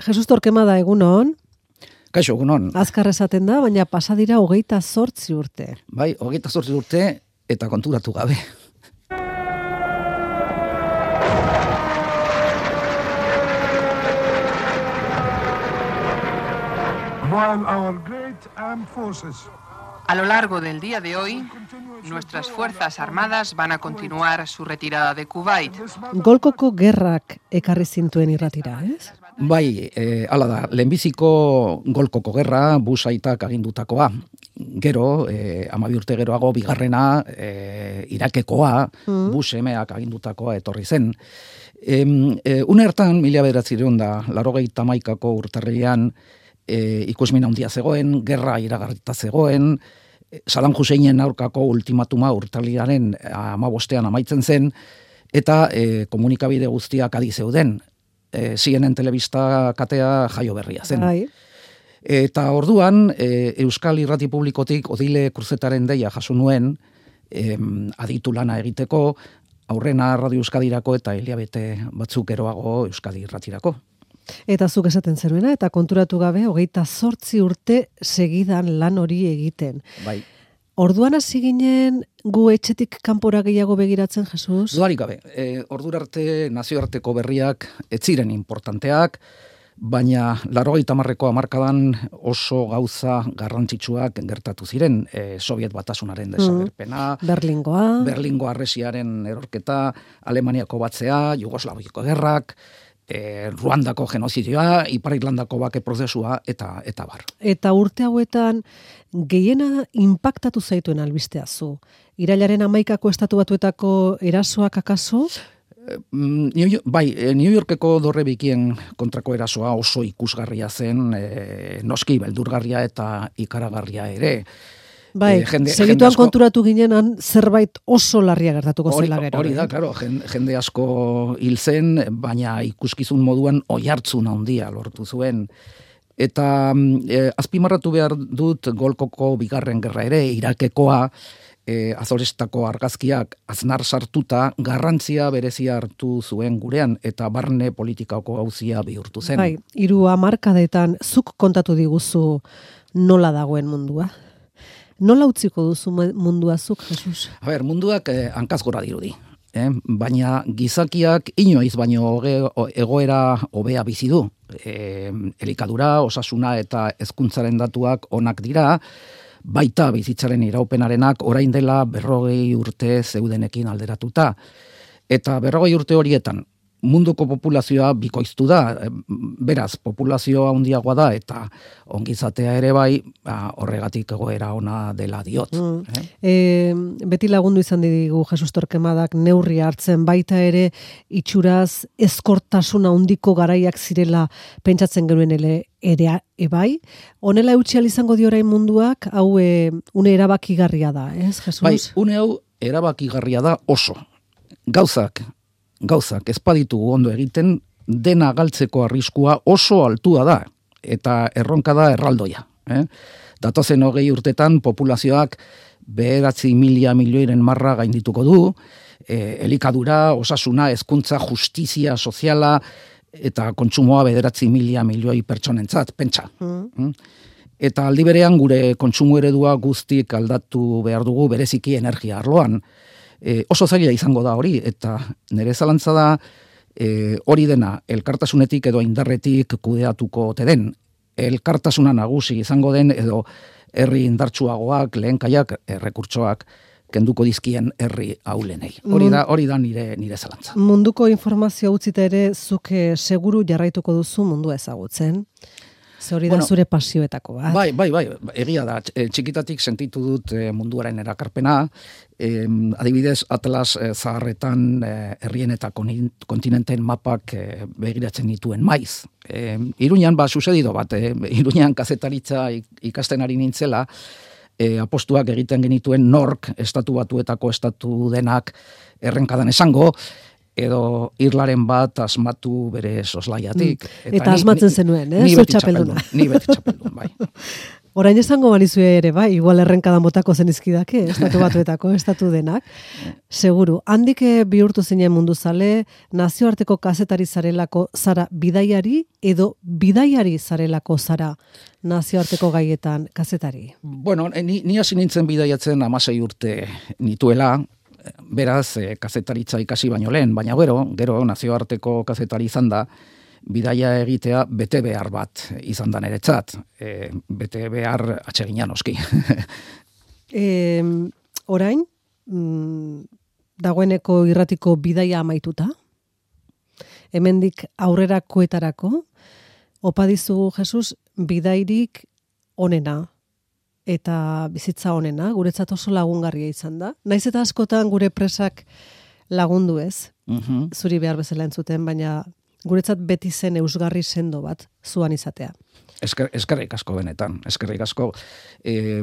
Jesus Torquemada, egunon. Kaixo, egunon. Azkar esaten da, baina pasadira 28 urte. Bai, 28 urte eta konturatu gabe. A lo largo del día de hoy, nuestras Fuerzas Armadas van a continuar su retirada de Kuwait. Golkoko gerrak ekarri zintuen irratira, ez? Bai, hala da, lehenbiziko Golkoko gerra, Bush aitak agindutakoa. Gero, 12 urte geroago, bigarrena, Irakekoa, Bush emeak agindutakoa etorri zen. Une hartan, 1981ko urtarrilean, ikusmin handia zegoen, gerra iragarrita zegoen, Saddam Husseinen aurkako ultimatuma urtarrilaren 15ean amaitzen zen, eta komunikabide guztiak adi zeuden. CNN telebista katea jaio berria zen. Bai. Eta orduan, Euskal Irrati Publikotik Odile Kruzetaren deia jaso nuen, aditu lana egiteko, aurrena Radio Euskadirako eta hilabete batzuk eroago Euskadi Irratirako. Eta zuk esaten zenuena, eta konturatu gabe, 28 urte segidan lan hori egiten. Bai. Orduan hasi ginen gu etxetik kanpora gehiago begiratzen, Jesus? Dudarik gabe, ordura arte nazioarteko berriak ez ziren importanteak, baina 80ko hamarkadan oso gauza garrantzitsuak gertatu ziren. Soviet Batasunaren desagerpena, Berlingo harresiaren erorketa, Alemaniako batzea, Jugoslaviako gerrak, Ruandako genozidioa, Ipar Irlandako bake prozesua eta bar. Eta urte hauetan gehiena inpaktatu zaituen albistea zu. Irailaren 11ko Estatu Batuetako erasoak akaso? Bai, New Yorkeko dorrebikien kontrako erasoa oso ikusgarria zen, noski beldurgarria eta ikaragarria ere. Bai, segituan konturatu ginenan zerbait oso larria gertatuko zela gero. Hori da, claro, jende asko hil zen, baina ikuskizun moduan oihartzun handia lortu zuen. Eta azpimarratu behar dut Golkoko bigarren gerra ere, Irakekoa, Azorestako argazkiak aznar sartuta garrantzia berezia hartu zuen gurean eta barne politikako gauzia bihurtu zen. Bai, 3 hamarkadetan zuk kontatu diguzu nola dagoen mundua? Nola utziko duzu mundua zuk, Jesus? A ber, munduak hankaz gora dirudi. Baina gizakiak inoiz baino egoera hobea bizi du. Elikadura, osasuna eta hezkuntzaren datuak onak dira, baita bizitzaren iraupenarenak orain dela 40 urte zeudenekin alderatuta. Eta 40 urte horietan munduko populazioa bikoiztu da, beraz, populazioa handiagoa da, eta ongizatea ere bai, horregatik egoera ona dela diot. Beti lagundu izan digu Jesus Torquemadak neurri hartzen, baita ere itxuraz eskortasuna handiko garaiak zirela pentsatzen genuen ere bai. Honela eutxial izango dio orain munduak, hau une erabakigarria da, ez, Jesus? Bai, une hau erabakigarria da oso. Gauzak ezpaditu ondo egiten, dena galtzeko arriskua oso altua da, eta erronka da erraldoia. Datozen 20 urtetan populazioak 9.000 milioiren marra gaindituko du, elikadura, osasuna, hezkuntza, justizia soziala, eta kontsumoa 9.000 milioi pertsonentzat, pentsa. Eta aldi berean gure kontsumo eredua guztik aldatu behar dugu bereziki energia arloan. Oso zaila izango da hori, eta nire zalantza da hori dena elkartasunetik edo indarretik kudeatuko ote den. Elkartasuna nagusi izango den edo herri indartsuagoak, lehenkaiak, errekurtsoak kenduko dizkien herri aulenei. Hori da nire zalantza. Munduko informazio utzita ere zuke seguru jarraituko duzu mundua ezagutzen. Hori da zure pasioetako bat. Bai, egia da. Txikitatik sentitu dut munduaren erakarpena. Adibidez, Atlas zaharretan herrien eta kontinenteen mapak begiratzen dituen maiz. Iruñan, susedido bat, Iruñan kazetaritza ikasten ari nintzela, apostuak egiten genituen nork Estatu Batuetako estatu denak errenkadan esango, edo irlaren bat asmatu bere soslaiatik. Eta asmatzen zenuen, zu txapelduna. Ni beti txapeldun, bai. Orain esango banizue ere, bai, igual errenkada motako zenizkidake, estatu batuetako, estatu denak. Seguru, handik bihurtu zinen mundu zale, nazioarteko kazetari zarelako zara bidaiari edo bidaiari zarelako zara nazioarteko gaietan kazetari? Bueno, ni hasi nintzen bidaiatzen 16 urte nituela, beraz, kazetaritza ikasi baino lehen, baina gero nazioarteko kazetari izan da, bidaia egitea bete behar bat izan da niretzat. Bete behar atsegina noski. Orain, dagoeneko irratiko bidaia amaituta, hemendik aurrerakoetarako, opa dizugu, Jesus, bidairik onena eta bizitza onena, guretzat oso lagungarria izan da. Naiz eta askotan gure presak lagundu ez, zuri behar bezala entzuten, baina guretzat beti zen eusgarri sendo bat zuan izatea. Eskerrik asko benetan, eskerrik asko.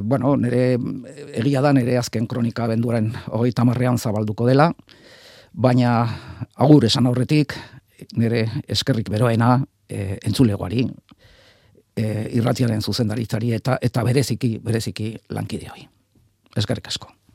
Bueno, egia da nire azken kronika abenduaren 30ean zabalduko dela, baina agur esan aurretik, nire eskerrik beroena entzulegoari, irratiaren zuzendaritzari eta bereziki lankideoi. Eskerrik asko.